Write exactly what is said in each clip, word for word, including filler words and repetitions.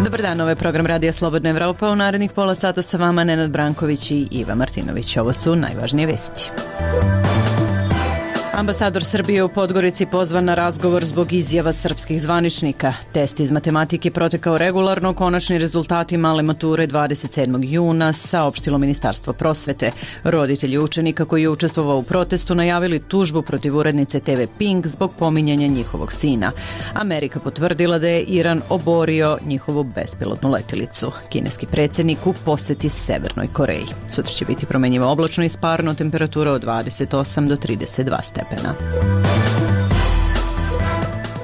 Dobar dan, ovo je program Radija Slobodna Evropa. U narednih pola sata sa vama Nenad Branković i Iva Martinović. Ovo su najvažnije vesti. Ambasador Srbije u Podgorici pozvan na razgovor zbog izjava srpskih zvaničnika. Test iz matematike protekao regularno, konačni rezultati male mature dvadeset sedmog juna, saopštilo Ministarstvo prosvete. Roditelji učenika koji je učestvovao u protestu najavili tužbu protiv urednice te ve Pink zbog pominjanja njihovog sina. Amerika potvrdila da je Iran oborio njihovu bespilotnu letilicu. Kineski predsjednik u poseti Severnoj Koreji. Sutra će biti promenjivo oblačno i sparno, temperatura od dvadeset osam do trideset dva stepena.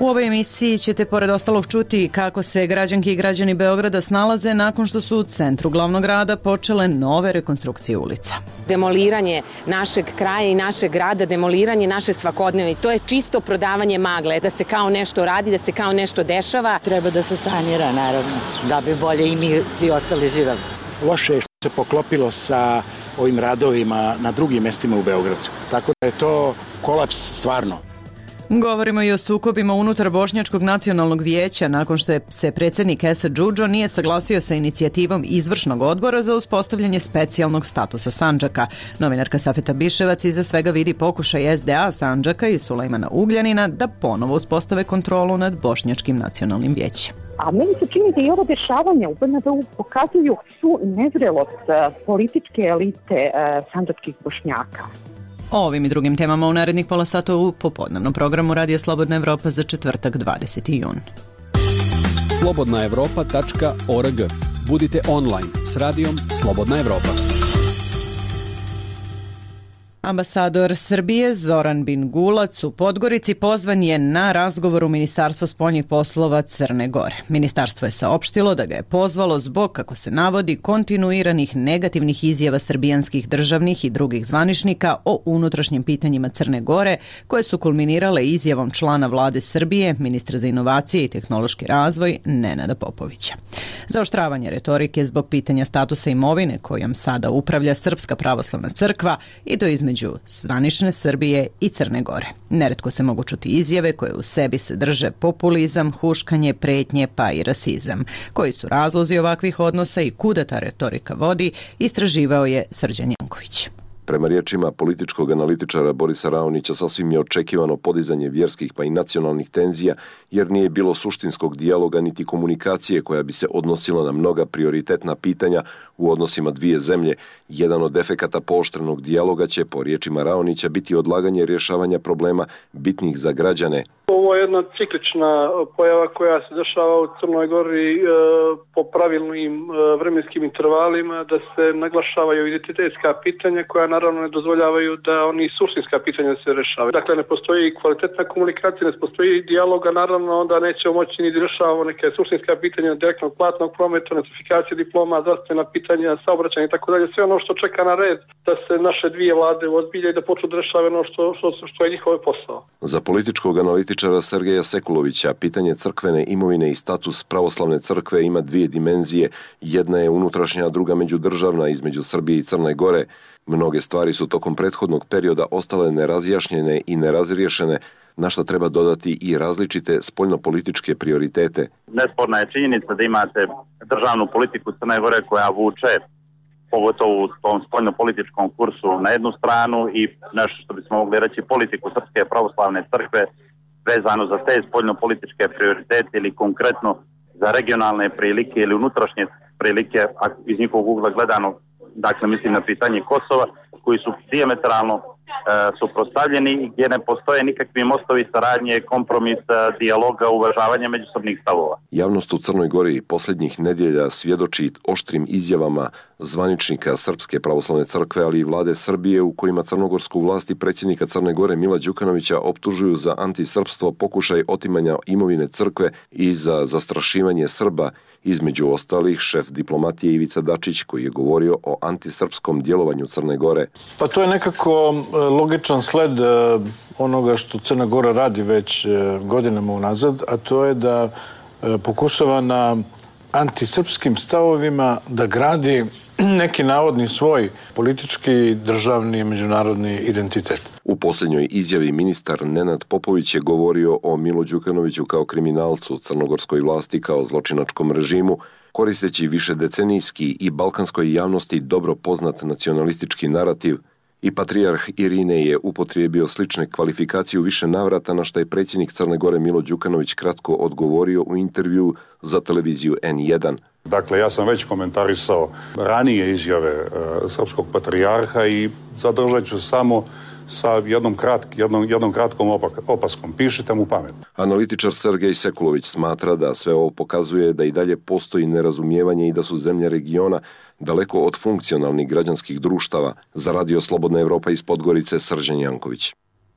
U ovoj emisiji ćete pored ostalog čuti kako se građanki i građani Beograda snalaze nakon što su u centru glavnog grada počele nove rekonstrukcije ulica. Demoliranje našeg kraja i našeg grada, demoliranje naše svakodnevne. To je čisto prodavanje magle, da se kao nešto radi, da se kao nešto dešava. Treba da se sanira, naravno, da bi bolje i mi svi ostali živeli. Loše je što se poklopilo sa ovim radovima na drugim mestima u Beogradu. Tako da je to kolaps stvarno. Govorimo i o sukobima unutar Bošnjačkog nacionalnog vijeća nakon što je se predsjednik Esad Džudžo nije saglasio sa inicijativom izvršnog odbora za uspostavljanje specijalnog statusa Sandžaka. Novinarka Safeta Biševac iza svega vidi pokušaj es de a Sandžaka i Sulejmana Ugljanina da ponovo uspostave kontrolu nad Bošnjačkim nacionalnim vijećem. A meni se čini da i ovo dešavanje u be en de u pokazuju svu nezrelost političke elite sandžačkih Bošnjaka. O ovim i drugim temama u narednih pola sata u popodnevnom programu Radija Slobodna Evropa za četvrtak dvadeseti jun. slobodna evropa tačka org. Budite online s radijom Slobodna Evropa. Ambasador Srbije Zoran Bingulac u Podgorici pozvan je na razgovor u Ministarstvo spoljnih poslova Crne Gore. Ministarstvo je saopštilo da ga je pozvalo zbog, kako se navodi, kontinuiranih negativnih izjava srbijanskih državnih i drugih zvaničnika o unutrašnjim pitanjima Crne Gore, koje su kulminirale izjavom člana vlade Srbije, ministra za inovacije i tehnološki razvoj Nenada Popovića. Zaoštravanje retorike zbog pitanja statusa imovine kojom sada upravlja Srpska pravoslavna crkva i to između među zvanične Srbije i Crne Gore. Neretko se mogu čuti izjave koje u sebi sadrže populizam, huškanje, pretnje pa i rasizam. Koji su razlozi ovakvih odnosa i kuda ta retorika vodi, istraživao je Srđan Janković. Prema riječima političkog analitičara Borisa Raonića, sasvim je očekivano podizanje vjerskih pa i nacionalnih tenzija, jer nije bilo suštinskog dijaloga niti komunikacije koja bi se odnosila na mnoga prioritetna pitanja u odnosima dvije zemlje. Jedan od efekata pooštrenog dijaloga će, po riječima Raonića, biti odlaganje rješavanja problema bitnih za građane. Ovo je jedna ciklična pojava koja se dešava u Crnoj Gori e, po pravilnim e, vremenskim intervalima, da se naglašavaju identitetska pitanja koja naravno ne dozvoljavaju da oni suštinska pitanja se rešavaju. Dakle, ne postoji kvalitetna komunikacija, ne postoji dijaloga, naravno onda nećemo moći ni da rešavamo neke suštinska pitanja direktnog platnog prometa, notifikacije diploma, zdravstvena pitanja, saobraćanja i tako dalje. Sve ono što čeka na red da se naše dvije vlade ozbilje i da počnu da rešavaju ono što, što, što je njihov posao. Za političkog analitičara Sergeja Sekulovića pitanje crkvene imovine i status pravoslavne crkve ima dvije dimenzije. Jedna je unutrašnja, a druga međudržavna između Srbije i Crne Gore. Mnoge stvari su tokom prethodnog perioda ostale nerazjašnjene i nerazriješene, na što treba dodati i različite spoljnopolitičke prioritete. Nesporna je činjenica da imate državnu politiku Crne Gore koja vuče, pogotovo u tom spoljnopolitičkom kursu, na jednu stranu i nešto što bismo mogli reći politiku Srpske pravoslavne crkve vezano za te spoljnopolitičke prioritete ili konkretno za regionalne prilike ili unutrašnje prilike iz njihovog ugla gledano, dakle mislim na pitanje Kosova, koji su dijametralno e, suprotstavljeni i gdje ne postoje nikakvi mostovi saradnje, kompromisa, dijaloga, uvažavanja međusobnih stavova. Javnost u Crnoj Gori posljednjih nedjelja svjedoči oštrim izjavama zvaničnika Srpske pravoslavne crkve, ali i vlade Srbije, u kojima crnogorsku vlast i predsjednika Crne Gore Mila Đukanovića optužuju za antisrpstvo, pokušaj otimanja imovine crkve i za zastrašivanje Srba. Između ostalih, šef diplomatije Ivica Dačić, koji je govorio o antisrpskom djelovanju Crne Gore. Pa to je nekako logičan sled onoga što Crna Gora radi već godinama unazad, a to je da pokušava na antisrpskim stavovima da gradi neki navodni svoj politički, državni, međunarodni identitet. U posljednjoj izjavi ministar Nenad Popović je govorio o Milu Đukanoviću kao kriminalcu, crnogorskoj vlasti kao zločinačkom režimu, koristeći višedecenijski i balkanskoj javnosti dobro poznat nacionalistički narativ, i patrijarh Irine je upotrijebio slične kvalifikacije u više navrata, na što je predsjednik Crne Gore Milo Đukanović kratko odgovorio u intervju za televiziju en jedan. Dakle, ja sam već komentarisao ranije izjave e, srpskog patrijarha i zadržat ću samo sa jednom, kratk, jednom, jednom kratkom opak, opaskom. Pišite mu pamet. Analitičar Sergej Sekulović smatra da sve ovo pokazuje da i dalje postoji nerazumijevanje i da su zemlje regiona daleko od funkcionalnih građanskih društava. Za Radio Slobodna Evropa iz Podgorice, Srđan Janković.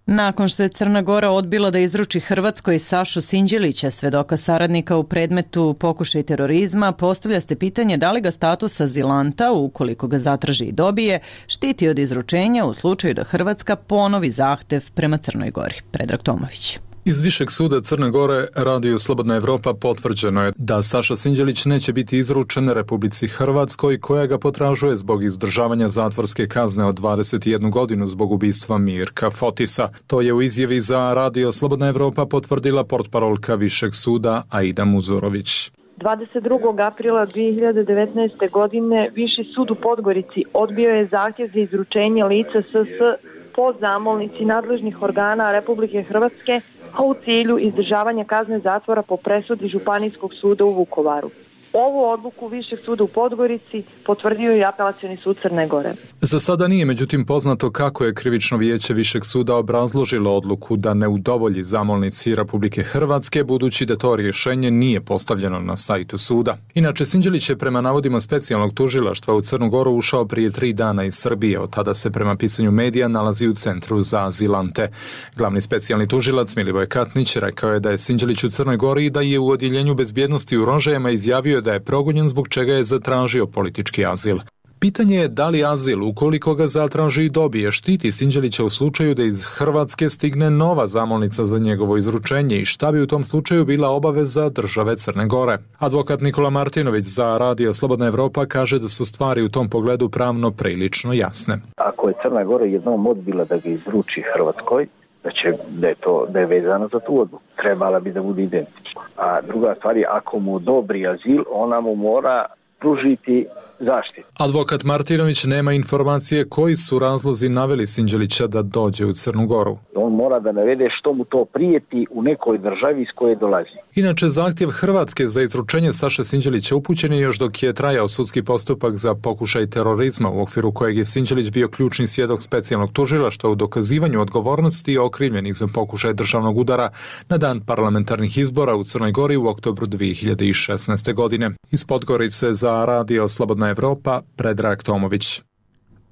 Nakon što je Crna Gora odbila da izruči Hrvatskoj Sašu Sinđelića, svedoka saradnika u predmetu pokušaj terorizma, postavlja se pitanje da li ga status azilanta, ukoliko ga zatraži i dobije, štiti od izručenja u slučaju da Hrvatska ponovi zahtev prema Crnoj Gori. Predrag Tomović. Iz Višeg suda Crne Gore, Radio Slobodna Evropa, potvrđeno je da Saša Sinđelić neće biti izručen Republici Hrvatskoj, koja ga potražuje zbog izdržavanja zatvorske kazne od dvadeset jednu godinu zbog ubistva Mirka Fotisa. To je u izjavi za Radio Slobodna Evropa potvrdila portparolka Višeg suda Aida Muzurović. dvadeset drugog aprila dve hiljade devetnaeste. godine Viši sud u Podgorici odbio je zahtjev za izručenje lica es es po zamolnici nadležnih organa Republike Hrvatske, a u cilju izdržavanja kazne zatvora po presudi Županijskog suda u Vukovaru. Ovu odluku Višeg suda u Podgorici potvrdio je Apelacioni sud Crne Gore. Za sada nije međutim poznato kako je krivično vijeće Višeg suda obrazložilo odluku da ne udovolji zamolnici Republike Hrvatske, budući da to rješenje nije postavljeno na sajtu suda. Inače, Sinđelić je prema navodima specijalnog tužilaštva u Crnu Goru ušao prije tri dana iz Srbije. Od tada se prema pisanju medija nalazi u centru za azilante. Glavni specijalni tužilac Milivoj Katnić rekao je da je Sinđelić u Crnoj Gori i da je u odjeljenju bezbjednosti u Rožajama izjavio da je progonjen zbog čega je zatražio politički azil. Pitanje je da li azil, ukoliko ga zatraži i dobije, štiti Sinđelića u slučaju da iz Hrvatske stigne nova zamolnica za njegovo izručenje i šta bi u tom slučaju bila obaveza države Crne Gore. Advokat Nikola Martinović za Radio Slobodna Evropa kaže da su stvari u tom pogledu pravno prilično jasne. Ako je Crna Gora jednom odbila da ga izruči Hrvatskoj, da će da je to da je vezano za tu odluku. Trebala bi da bude identična. A druga stvar je, ako mu odobri azil, ona mu mora pružiti zaštitu. Advokat Martinović nema informacije koji su razlozi naveli Sinđelića da dođe u Crnu Goru. On mora da navede što mu to prijeti u nekoj državi iz koje dolazi. Inače, zahtjev Hrvatske za izručenje Saše Sinđelića upućen je još dok je trajao sudski postupak za pokušaj terorizma, u okviru kojeg je Sinđelić bio ključni svjedok specijalnog tužilaštva u dokazivanju odgovornosti okrivljenih za pokušaj državnog udara na dan parlamentarnih izbora u Crnoj Gori u oktobru dve hiljade šesnaeste. godine. Iz Podgorice za Radio Slobodna Evropa, Predrag Tomović.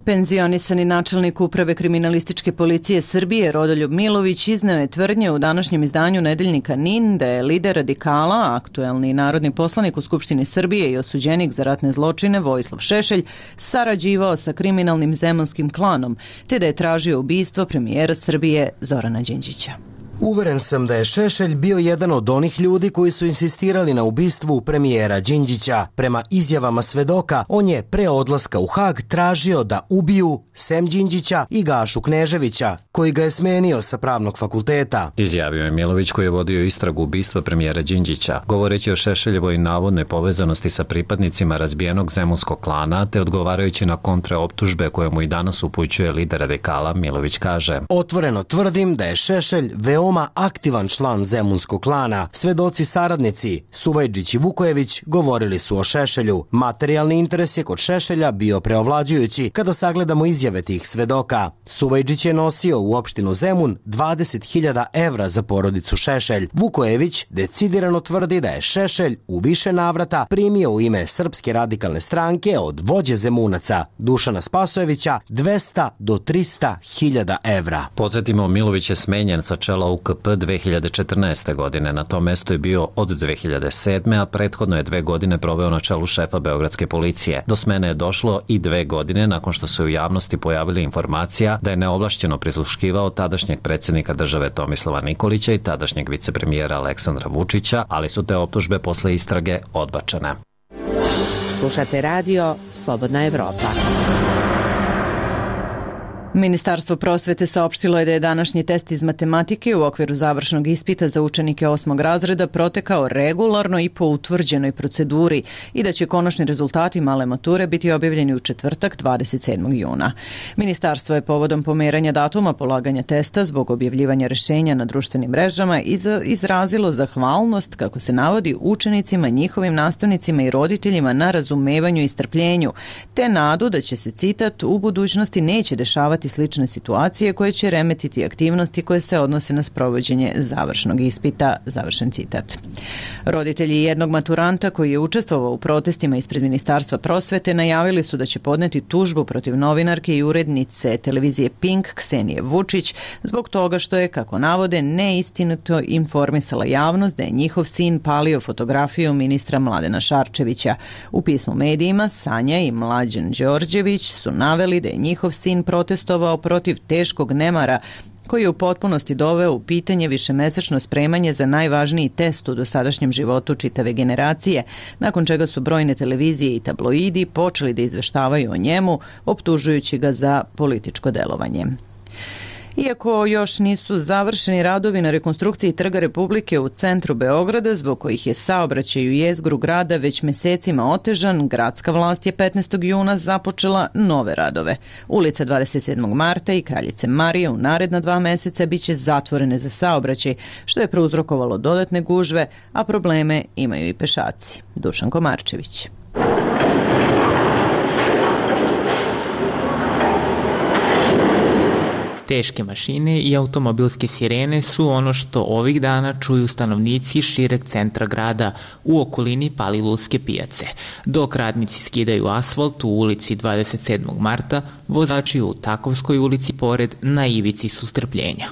Penzionisani načelnik Uprave kriminalističke policije Srbije Rodoljub Milović izneo je tvrdnje u današnjem izdanju nedeljnika N I N da je lider radikala, aktuelni narodni poslanik u Skupštini Srbije i osuđenik za ratne zločine Vojislav Šešelj sarađivao sa kriminalnim zemunskim klanom, te da je tražio ubistvo premijera Srbije Zorana Đinđića. Uveren sam da je Šešelj bio jedan od onih ljudi koji su insistirali na ubistvu premijera Đinđića. Prema izjavama svedoka, on je pre odlaska u Hag tražio da ubiju sem Đinđića i Gašu Kneževića, koji ga je smenio sa pravnog fakulteta. Izjavio je Milović, koji je vodio istragu ubistva premijera Đinđića, govoreći o Šešeljevoj navodnoj povezanosti sa pripadnicima razbijenog zemunskog klana, te odgovarajući na kontraoptužbe koje mu i danas upućuje lider radikala. Milović kaže: Otvoreno tvrdim da je Šešelj veoma aktivan član zemunskog klana. Svedoci saradnici Suvajđić i Vukojević govorili su o Šešelju. Materijalni interes je kod Šešelja bio preovlađujući kada sagledamo izjave tih svedoka. Suvajđić je nosio u opštinu Zemun dvadeset hiljada evra za porodicu Šešelj. Vukojević decidirano tvrdi da je Šešelj u više navrata primio u ime Srpske radikalne stranke od vođe Zemunaca Dušana Spasojevića dvesta do trista hiljada evra. Podsjetimo, Milović je smenjen sa čela U K P dve hiljade četrnaeste. godine. Na tom mestu je bio od dve hiljade sedme. a prethodno je dve godine proveo na čelu šefa Beogradske policije. Do smene je došlo i dve godine nakon što se u javnosti pojavila informacija da je neovlašćeno prisluškivao tadašnjeg predsjednika države Tomislava Nikolića i tadašnjeg vicepremijera Aleksandra Vučića, ali su te optužbe posle istrage odbačene. Slušate radio Slobodna Evropa. Ministarstvo prosvete saopštilo je da je današnji test iz matematike u okviru završnog ispita za učenike osmog razreda protekao regularno i po utvrđenoj proceduri i da će konačni rezultati male mature biti objavljeni u četvrtak dvadeset sedmog juna. Ministarstvo je povodom pomeranja datuma polaganja testa zbog objavljivanja rešenja na društvenim mrežama izrazilo zahvalnost, kako se navodi, učenicima, njihovim nastavnicima i roditeljima na razumevanju i strpljenju, te nadu da će se, citat, u budućnosti neće dešavati slične situacije koje će remetiti aktivnosti koje se odnose na sprovođenje završnog ispita, završen citat. Roditelji jednog maturanta koji je učestvovao u protestima ispred Ministarstva prosvete najavili su da će podneti tužbu protiv novinarke i urednice televizije Pink Ksenije Vučić zbog toga što je, kako navode, neistinito informisala javnost da je njihov sin palio fotografiju ministra Mladena Šarčevića. U pismu medijima Sanja i Mlađan Đorđević su naveli da je njihov sin protestovao protiv teškog nemara koji je u potpunosti doveo u pitanje višemesečno spremanje za najvažniji test u dosadašnjem životu čitave generacije, nakon čega su brojne televizije i tabloidi počeli da izveštavaju o njemu, optužujući ga za političko delovanje. Iako još nisu završeni radovi na rekonstrukciji Trga Republike u centru Beograda, zbog kojih je saobraćaj u jezgru grada već mesecima otežan, gradska vlast je petnaestog juna započela nove radove. Ulica dvadeset sedmog marta i Kraljice Marije u naredna dva meseca biće zatvorene za saobraćaj, što je prouzrokovalo dodatne gužve, a probleme imaju i pešaci. Dušan Komarčević. Teške mašine i automobilske sirene su ono što ovih dana čuju stanovnici šireg centra grada u okolini Palilulske pijace. Dok radnici skidaju asfalt u ulici dvadeset sedmog marta, vozači u Takovskoj ulici pored na ivici su strpljenja.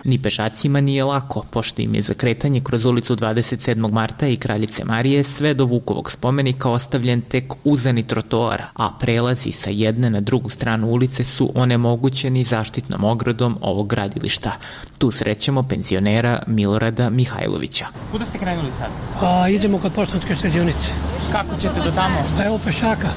Ni pešacima nije lako, pošto im je za kretanje kroz ulicu dvadeset sedmog marta i Kraljice Marije sve do Vukovog spomenika ostavljen tek uzani trotoar, a prelazi sa jedne na drugu stranu ulice su onemogućeni zaštitnom ogradom ovog gradilišta. Tu srećemo penzionera Milorada Mihajlovića. Kuda ste krenuli sad? A, idemo kod Poštanske štedionice. Kako ćete do tamo? Pa evo pešaka.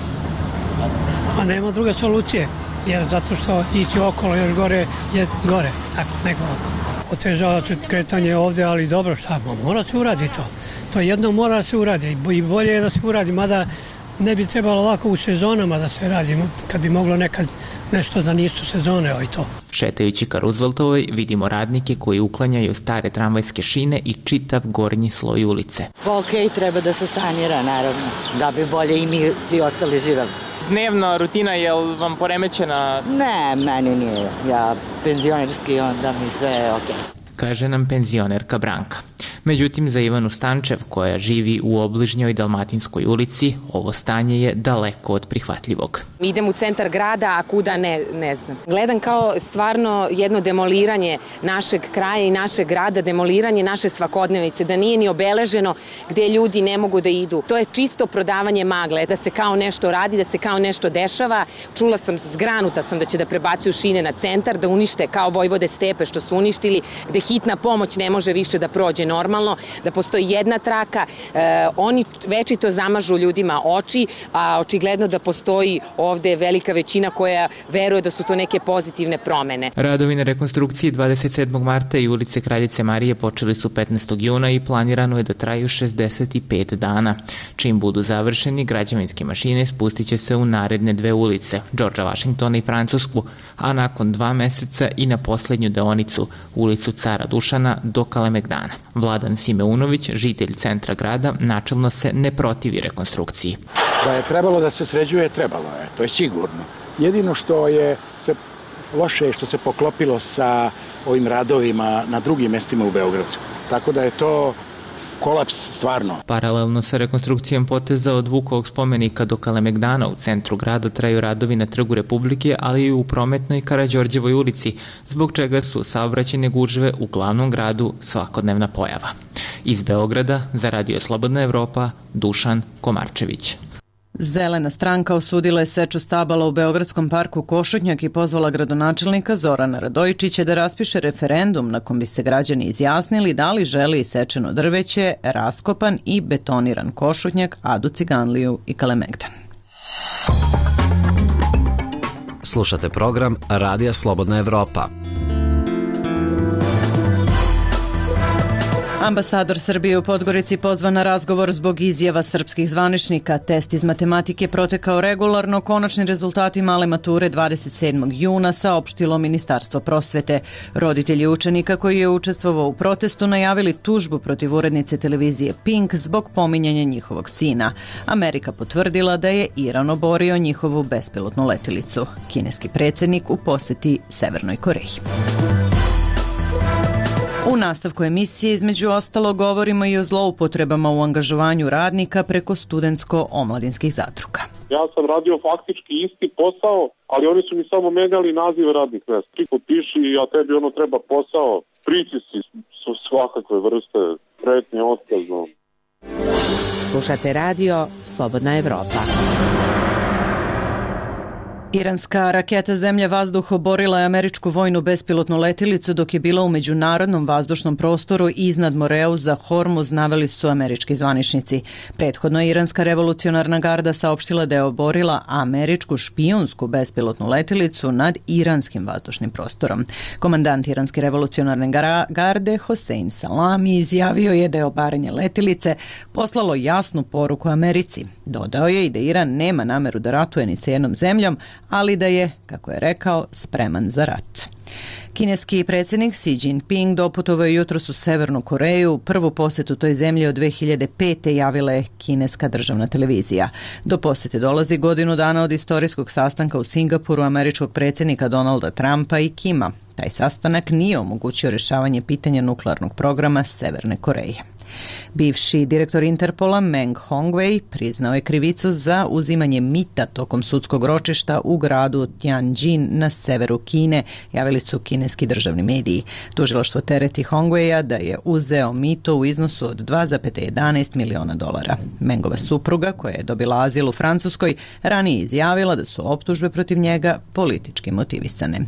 A nema druge solucije. Jer zato što ići okolo još gore je gore, tako, nego oko. Otežava se kretanje ovde, ali dobro, šta, mora se uradi to. To jedno mora se uradi i bolje je da se uradi, mada ne bi trebalo lako u sezonama da se radi, kad bi moglo nekad nešto da nisu sezone i to. Šetajući ka Rooseveltovoj vidimo radnike koji uklanjaju stare tramvajske šine i čitav gornji sloj ulice. Ok, treba da se sanira, naravno, da bi bolje i mi svi ostali živeli. Dnevna rutina, je li vam poremećena? Ne, meni nije. Ja penzionerski, onda mi sve je okej. Kaže nam penzionerka Branka. Međutim, za Ivanu Stančev, koja živi u obližnjoj Dalmatinskoj ulici, ovo stanje je daleko od prihvatljivog. Idem u centar grada, a kuda ne, ne znam. Gledam kao stvarno jedno demoliranje našeg kraja i našeg grada, demoliranje naše svakodnevice, da nije ni obeleženo gde ljudi ne mogu da idu. To je čisto prodavanje magle, da se kao nešto radi, da se kao nešto dešava. Čula sam, zgranuta sam da će da prebacuju šine na centar, da unište kao Vojvode Stepe što su uništili, gde hitna pomoć ne može više da prođe normalno, da postoji jedna traka, e, oni večito zamažu ljudima oči, a očigledno da postoji ovde velika većina koja veruje da su to neke pozitivne promene. Radovi na rekonstrukciji dvadeset sedmog marta i ulice Kraljice Marije počeli su petnaestog juna i planirano je da traju šezdeset pet dana. Čim budu završeni, građevinske mašine spustit će se u naredne dve ulice, Đorđa Vašingtona i Francusku, a nakon dva meseca i na poslednju deonicu, ulicu Cara Dušana do Kalemegdana. Vladan Simeunović, žitelj centra grada, načelno se ne protivi rekonstrukciji. Da je trebalo da se sređuje, trebalo je, to je sigurno. Jedino što je se loše je što se poklopilo sa ovim radovima na drugim mestima u Beogradu. Tako da je to kolaps stvarno. Paralelno sa rekonstrukcijom poteza od Vukovog spomenika do Kalemegdana u centru grada traju radovi na Trgu Republike, ali i u Prometnoj Karađorđevoj ulici, zbog čega su saobraćajne gužve u glavnom gradu svakodnevna pojava. Iz Beograda za Radio Slobodna Evropa, Dušan Komarčević. Zelena stranka osudila je seču stabala u Beogradskom parku Košutnjak i pozvala gradonačelnika Zorana Radojičića da raspiše referendum na kom bi se građani izjasnili da li želi isečeno drveće, raskopan i betoniran Košutnjak, Adu Ciganliju i Kalemegdan. Slušate program Radija Slobodna Evropa. Ambasador Srbije u Podgorici pozvan na razgovor zbog izjava srpskih zvaničnika. Test iz matematike protekao regularno, konačni rezultati male mature dvadeset sedmog juna saopštilo Ministarstvo prosvete. Roditelji učenika koji je učestvovao u protestu najavili tužbu protiv urednice televizije Pink zbog pominjanja njihovog sina. Amerika potvrdila da je Iran oborio njihovu bespilotnu letilicu. Kineski predsjednik u poseti Severnoj Koreji. U nastavku emisije između ostalo govorimo i o zloupotrebama u angažovanju radnika preko studentsko-omladinskih zadruga. Ja sam radio faktički isti posao, ali oni su mi samo menjali naziv radnih mjesta. Ti potpiši, a tebi ono treba posao, pritisci su svakakve vrste, pretnje, otkazno. Slušate radio Slobodna Evropa. Iranska raketa zemlja-vazduh oborila je američku vojnu bespilotnu letilicu dok je bila u međunarodnom vazdušnom prostoru iznad Moreuza Hormuz, naveli su američki zvaničnici. Prethodno je Iranska revolucionarna garda saopštila da je oborila američku špijunsku bespilotnu letilicu nad iranskim vazdušnim prostorom. Komandant Iranske revolucionarne garde Hossein Salami izjavio je da je obaranje letilice poslalo jasnu poruku Americi. Dodao je i da Iran nema nameru da ratuje ni sa jednom zemljom, ali da je, kako je rekao, spreman za rat. Kineski predsjednik Xi Jinping doputovao je jutros u Severnu Koreju. Prvu posjetu toj zemlji od dve hiljade pete javila je kineska državna televizija. Do posjete dolazi godinu dana od istorijskog sastanka u Singapuru američkog predsjednika Donalda Trumpa i Kima. Taj sastanak nije omogućio rješavanje pitanja nuklearnog programa Severne Koreje. Bivši direktor Interpola Meng Hongwei priznao je krivicu za uzimanje mita tokom sudskog ročišta u gradu Tianjin na severu Kine, javili su kineski državni mediji. Tužilaštvo tereti Hongweia da je uzeo mito u iznosu od dva zarez jedanaest miliona dolara. Mengova supruga, koja je dobila azil u Francuskoj, ranije izjavila da su optužbe protiv njega politički motivisane.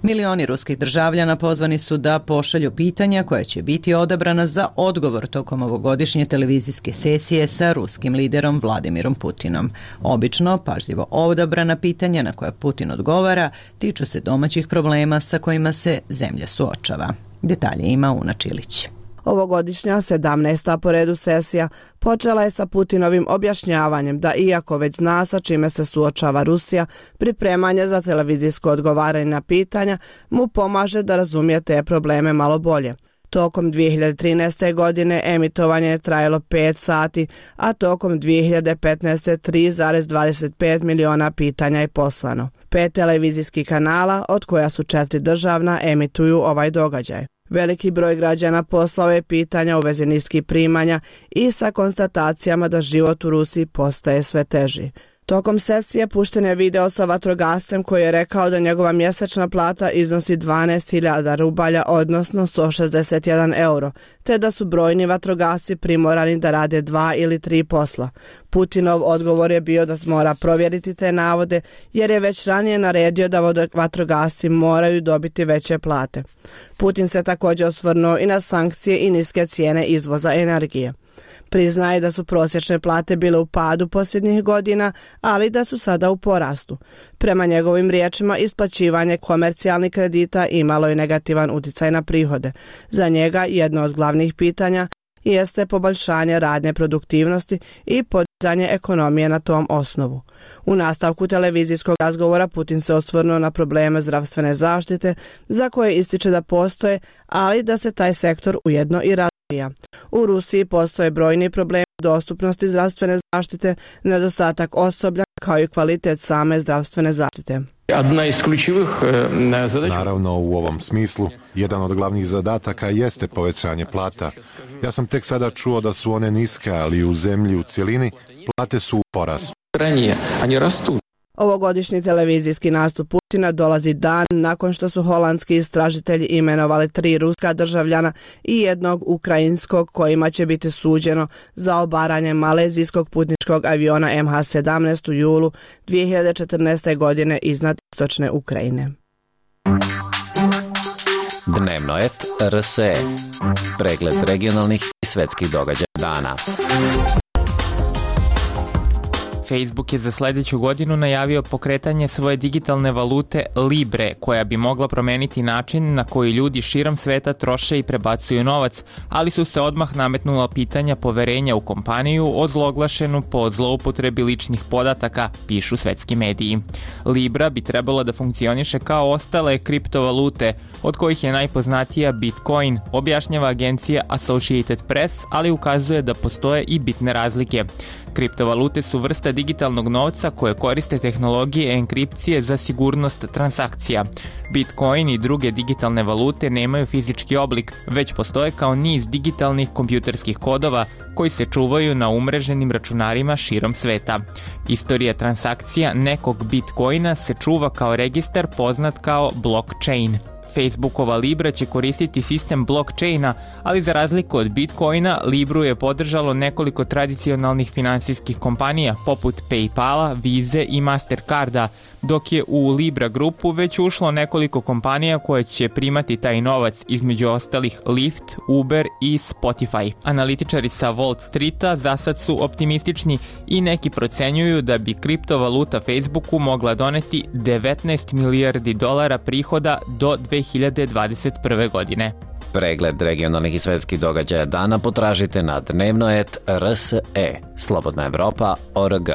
Milioni ruskih državljana pozvani su da pošalju pitanja koja će biti odabrana za odgovor tokom ovogodišnje televizijske sesije sa ruskim liderom Vladimirom Putinom. Obično, pažljivo odabrana pitanja na koja Putin odgovara tiču se domaćih problema sa kojima se zemlja suočava. Detalje ima Una Čilić. Ovogodišnja sedamnaesta po redu sesija počela je sa Putinovim objašnjavanjem da iako već zna sa čime se suočava Rusija, pripremanje za televizijsko odgovaranje na pitanja mu pomaže da razumije te probleme malo bolje. Tokom dvije hiljade trinaeste. godine emitovanje je trajalo pet sati, a tokom dvije hiljade petnaeste. tri zarez dvadeset pet miliona pitanja je poslano. Pet televizijskih kanala, od koja su četiri državna, emituju ovaj događaj. Veliki broj građana poslao je pitanja u vezi niskih primanja i sa konstatacijama da život u Rusiji postaje sve teži. Tokom sesije pušten je video sa vatrogascem koji je rekao da njegova mjesečna plata iznosi dvanaest hiljada rubalja, odnosno sto šezdeset jedan euro, te da su brojni vatrogasci primorani da rade dva ili tri posla. Putinov odgovor je bio da mora provjeriti te navode, jer je već ranije naredio da vatrogasci moraju dobiti veće plate. Putin se također osvrnuo i na sankcije i niske cijene izvoza energije. Priznaje da su prosječne plate bile u padu posljednjih godina, ali da su sada u porastu. Prema njegovim riječima, isplaćivanje komercijalnih kredita imalo je negativan utjecaj na prihode. Za njega jedno od glavnih pitanja jeste poboljšanje radne produktivnosti i podizanje ekonomije na tom osnovu. U nastavku televizijskog razgovora Putin se osvrnuo na probleme zdravstvene zaštite, za koje ističe da postoje, ali da se taj sektor ujedno i razvija. U Rusiji postoje brojni problemi dostupnosti zdravstvene zaštite, nedostatak osoblja kao i kvalitet same zdravstvene zaštite. Naravno, u ovom smislu, jedan od glavnih zadataka jeste povećanje plata. Ja sam tek sada čuo da su one niske, ali u zemlji u cjelini plate su u porastu. Ovogodišnji televizijski nastup Putina dolazi dan nakon što su holandski istražitelji imenovali tri ruska državljana i jednog ukrajinskog kojima će biti suđeno za obaranje malezijskog putničkog aviona M H sedamnaest u julu dvije hiljade četrnaeste. godine iznad istočne Ukrajine. Dnevno et R S E. Pregled regionalnih i svetskih događaja dana. Facebook je za sledeću godinu najavio pokretanje svoje digitalne valute Libre, koja bi mogla promeniti način na koji ljudi širom sveta troše i prebacuju novac, ali su se odmah nametnula pitanja poverenja u kompaniju ozloglašenu po zloupotrebi ličnih podataka, pišu svetski mediji. Libra bi trebalo da funkcioniše kao ostale kriptovalute, od kojih je najpoznatija Bitcoin, objašnjava agencija Associated Press, ali ukazuje da postoje i bitne razlike. Kriptovalute su vrsta digitalnog novca koje koriste tehnologije enkripcije za sigurnost transakcija. Bitcoin i druge digitalne valute nemaju fizički oblik, već postoje kao niz digitalnih kompjuterskih kodova koji se čuvaju na umreženim računarima širom sveta. Istorija transakcija nekog Bitcoina se čuva kao registar poznat kao blockchain. Facebookova Libra će koristiti sistem blockchaina, ali za razliku od Bitcoina, Libru je podržalo nekoliko tradicionalnih finansijskih kompanija poput PayPala, Vize i Mastercarda, dok je u Libra grupu već ušlo nekoliko kompanija koje će primati taj novac, između ostalih Lyft, Uber i Spotify. Analitičari sa Wall Streeta za sad su optimistični i neki procenjuju da bi kriptovaluta Facebooku mogla doneti devetnaest milijardi dolara prihoda do dve hiljade dvadeset prve. godine. Pregled regionalnih i svetskih događaja dana potražite na dnevno et R S E. Slobodna Evropa O R G.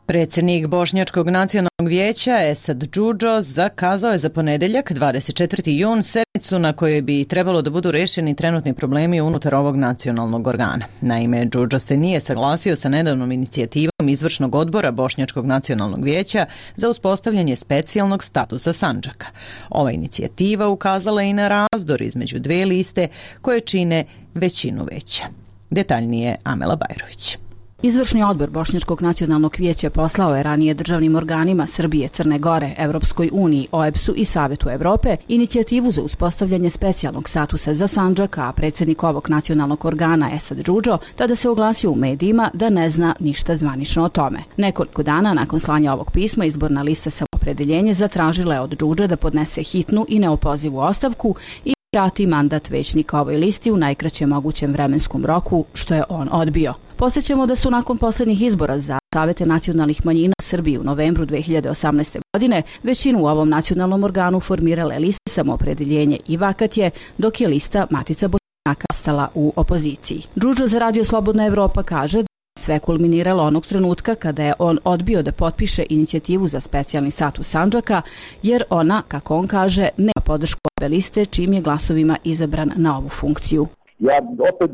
Predsjednik Bošnjačkog nacionalnog vijeća Esad Džudžo zakazao je za ponedeljak dvadeset četvrti jun sednicu na kojoj bi trebalo da budu rešeni trenutni problemi unutar ovog nacionalnog organa. Naime, Džudžo se nije saglasio sa nedavnom inicijativom izvršnog odbora Bošnjačkog nacionalnog vijeća za uspostavljanje specijalnog statusa Sandžaka. Ova inicijativa ukazala i na razdor između dve liste koje čine većinu veća. Detaljnije Amela Bajrović. Izvršni odbor Bošnjačkog nacionalnog vijeća poslao je ranije državnim organima Srbije, Crne Gore, Evropskoj uniji, O E B S-u i Savetu Evrope inicijativu za uspostavljanje specijalnog statusa za Sandžak, a predsjednik ovog nacionalnog organa Esad Džudžo tada se oglasio u medijima da ne zna ništa zvanično o tome. Nekoliko dana nakon slanja ovog pisma izborna lista Samoopredeljenje zatražila je od Džudže da podnese hitnu i neopozivu ostavku i vrati mandat većnika ovoj listi u najkraćem mogućem vremenskom roku, što je on odbio. Podsjećamo da su nakon posljednjih izbora za Savete nacionalnih manjina u Srbiji u novembru dve hiljade osamnaeste. godine većinu u ovom nacionalnom organu formirale liste Samoopredeljenje i Vakatje, dok je lista Matica Bošnjaka ostala u opoziciji. Džudžo za Radio Slobodna Evropa kaže da sve kulminiralo onog trenutka kada je on odbio da potpiše inicijativu za specijalni status Sandžaka, jer ona, kako on kaže, nema podršku ove liste, čim je glasovima izabran na ovu funkciju. Ja opet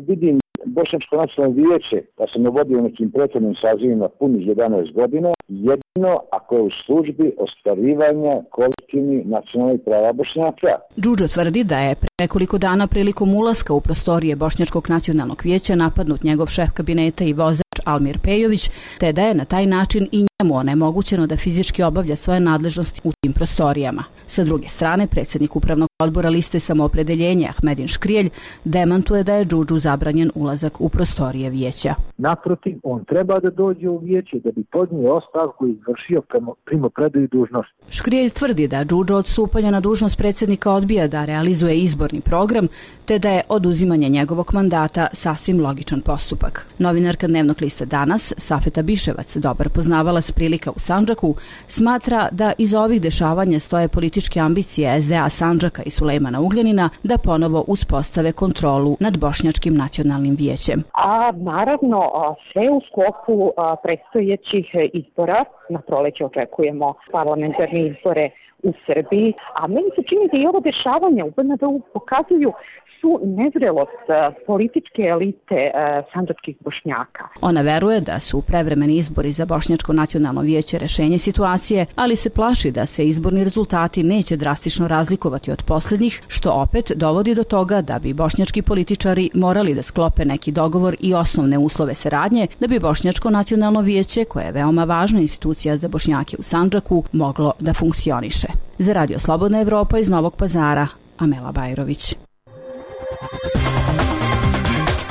vidim Bošnjačko nacionalno vijeće, da sam vodio nekim prethodnim sazivima punih jedanaest godina, jedino ako je u službi ostvarivanja kolektivnih nacionalnih prava Bošnjaka. Džudžo tvrdi da je pre nekoliko dana prilikom ulaska u prostorije Bošnjačkog nacionalnog vijeća napadnut njegov šef kabineta i vozač Almir Pejović, te da je na taj način i njemu onemogućeno da fizički obavlja svoje nadležnosti u tim prostorijama. Sa druge strane, predsjednik upravnog odbora liste Samoopredeljenje Ahmedin Škrijelj demantuje da je Džudžu zabranjen ulazak u prostorije vijeća. Naprotiv, on treba da dođe u vijeće da bi podnio ostavku i izvršio primopredaju dužnosti. Škrijelj tvrdi da Džudžo od stupanja na dužnost predsjednika odbija da realizuje izborni program, te da je oduzimanje njegovog mandata sasvim logičan postupak. Novinarka dnevnog lista Danas, Safeta Biševac, dobar poznavalac prilika u Sandžaku, smatra da iza ovih dešavanja stoje političke ambicije S D A Sandžaka i Sulejmana Ugljanina da ponovo uspostave kontrolu nad Bošnjačkim nacionalnim vijećem. A naravno, sve u sklopu predstojećih izbora. Na proleće očekujemo parlamentarne izbore u Srbiji, a meni se čini da i ovo dešavanje u B N D-u pokazuju su nezrelost političke elite sandžačkih Bošnjaka. Ona veruje da su prevremeni izbori za Bošnjačko nacionalno vijeće rešenje situacije, ali se plaši da se izborni rezultati neće drastično razlikovati od posljednjih, što opet dovodi do toga da bi bošnjački političari morali da sklope neki dogovor i osnovne uslove saradnje da bi Bošnjačko nacionalno vijeće, koje je veoma važna institucija za Bošnjake u Sandžaku, moglo da funkcioniše. Za Radio Slobodna Evropa iz Novog Pazara, Amela Bajrović.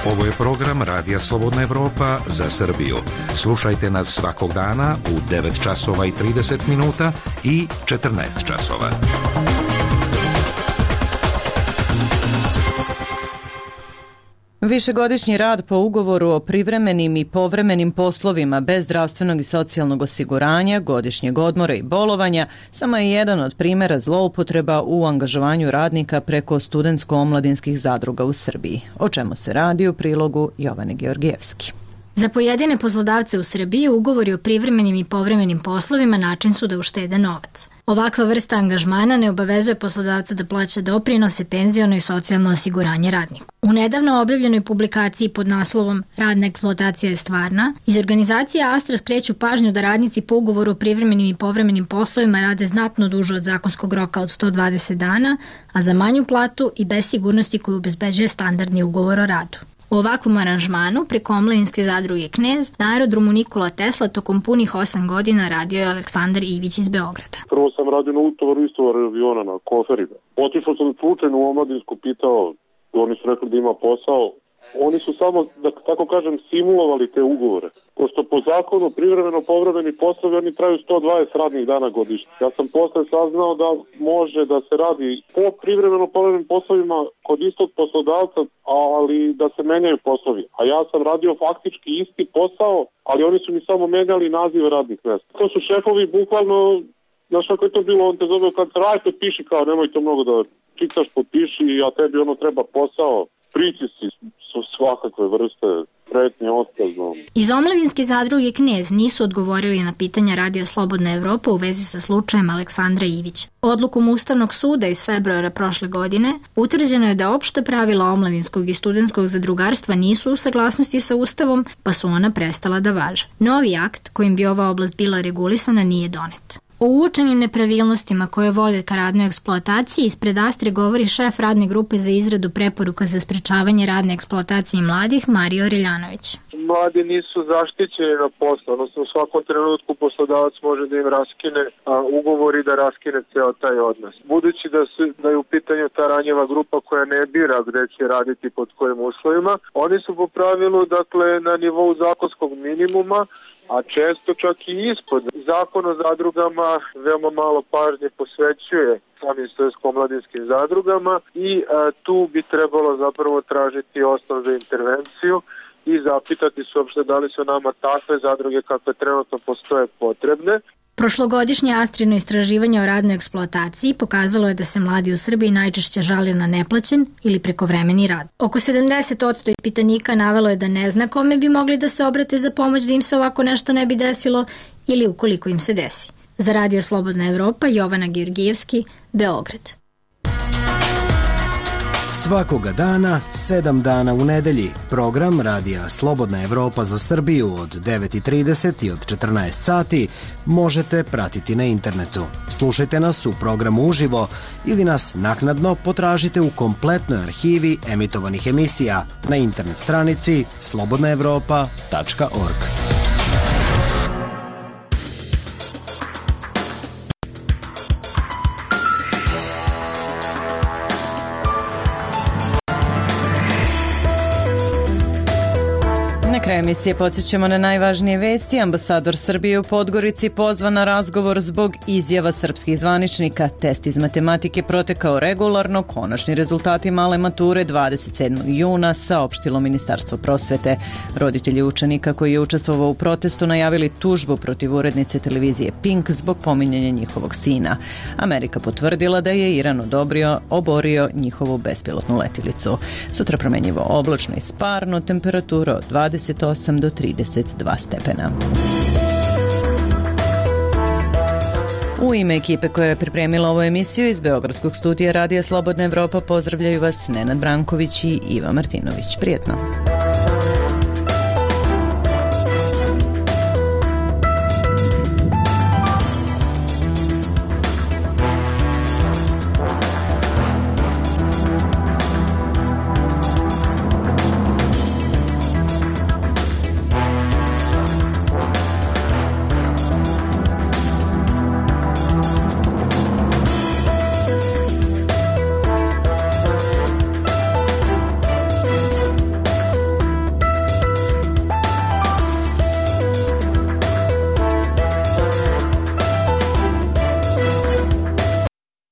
Ovo je program Radija Slobodna Evropa za Srbiju. Slušajte nas svakog dana u devet časova i trideset minuta i četrnaest časova. Višegodišnji rad po ugovoru o privremenim i povremenim poslovima bez zdravstvenog i socijalnog osiguranja, godišnjeg odmora i bolovanja samo je jedan od primjera zloupotreba u angažovanju radnika preko studentsko-omladinskih zadruga u Srbiji. O čemu se radi u prilogu Jovane Georgijevski. Za pojedine poslodavce u Srbiji ugovori o privremenim i povremenim poslovima način su da uštede novac. Ovakva vrsta angažmana ne obavezuje poslodavca da plaća doprinose, penziono i socijalno osiguranje radniku. U nedavno objavljenoj publikaciji pod naslovom Radna eksploatacija je stvarna, iz organizacije Astra skreću pažnju da radnici po ugovoru o privremenim i povremenim poslovima rade znatno duže od zakonskog roka od sto dvadeset dana, a za manju platu i bez sigurnosti koju obezbeđuje standardni ugovor o radu. U ovakvom aranžmanu preko omladinske zadruge Knez na aerodromu Nikola Tesla tokom punih osam godina radio je Aleksandar Ivić iz Beograda. Prvo sam radio na utovaru istovaru aviona na koferima. Otišao sam slučajno u omladinsku, pitao, oni su rekli da ima posao. Oni su samo, da tako kažem, simulovali te ugovore. Pošto po zakonu privremeno povremeni poslovi oni traju sto dvadeset radnih dana godišnje. Ja sam posle saznao da može da se radi po privremeno povremenim poslovima kod istog poslodavca, ali da se menjaju poslovi. A ja sam radio faktički isti posao, ali oni su mi samo menjali nazive radnih mjesta. To su šefovi bukvalno, znaš kako je to bilo, on te zove kad se radi, potpiši kao, nemoj to mnogo da čitaš, potpiši, a tebi ono treba posao. Pritisci su svakakve vrste, pretnje, otkazom. Iz omladinske zadruge Knez nisu odgovorili na pitanja Radija Slobodna Evropa u vezi sa slučajem Aleksandra Ivića. Odlukom Ustavnog suda iz februara prošle godine utvrđeno je da opšta pravila omladinskog i studentskog zadrugarstva nisu u saglasnosti sa Ustavom, pa su ona prestala da važe. Novi akt kojim bi ova oblast bila regulisana nije donet. O uočenim nepravilnostima koje vode ka radnoj eksploataciji ispred Astre govori šef radne grupe za izradu preporuka za sprečavanje radne eksploatacije mladih Mario Reljanović. Mladi nisu zaštićeni na poslu, odnosno u svakom trenutku poslodavac može da im raskine a, ugovor i da raskine ceo taj odnos. Budući da, su, da je u pitanju ta ranjiva grupa koja ne bira gde će raditi pod kojim uslovima, oni su po pravilu dakle, na nivou zakonskog minimuma, a često čak i ispod. Zakon o zadrugama veoma malo pažnje posvećuje samim studentsko-omladinskim zadrugama i a, tu bi trebalo zapravo tražiti osnov za intervenciju i zapitati se uopšte da li su nama takve zadruge kakve trenutno postoje potrebne. Prošlogodišnje Astrino istraživanje o radnoj eksploataciji pokazalo je da se mladi u Srbiji najčešće žale na neplaćen ili prekovremeni rad. Oko sedamdeset posto ispitanika navelo je da ne zna kome bi mogli da se obrate za pomoć da im se ovako nešto ne bi desilo ili ukoliko im se desi. Za Radio Slobodna Evropa, Jovana Georgijevski, Beograd. Svakoga dana, sedam dana u nedelji, program Radija Slobodna Evropa za Srbiju od devet i trideset i od četrnaest sati možete pratiti na internetu. Slušajte nas u programu uživo ili nas naknadno potražite u kompletnoj arhivi emitovanih emisija na internet stranici slobodna evropa tačka org. Kraj emisije podsjećamo na najvažnije vesti. Ambasador Srbije u Podgorici pozvan na razgovor zbog izjava srpskih zvaničnika. Test iz matematike protekao regularno, konačni rezultati male mature dvadeset sedmog juna saopštilo Ministarstvo prosvete. Roditelji učenika koji je učestvovao u protestu najavili tužbu protiv urednice televizije Pink zbog pominjanja njihovog sina. Amerika potvrdila da je Iran odobrio, oborio njihovu bespilotnu letilicu. Sutra promenjivo oblačno i sparno, temperatura od dvadeset osam do trideset dva stepena. U ime ekipe koja je pripremila ovu emisiju iz Beogradskog studija Radija Slobodna Evropa pozdravljaju vas Nenad Branković i Iva Martinović. Prijetno!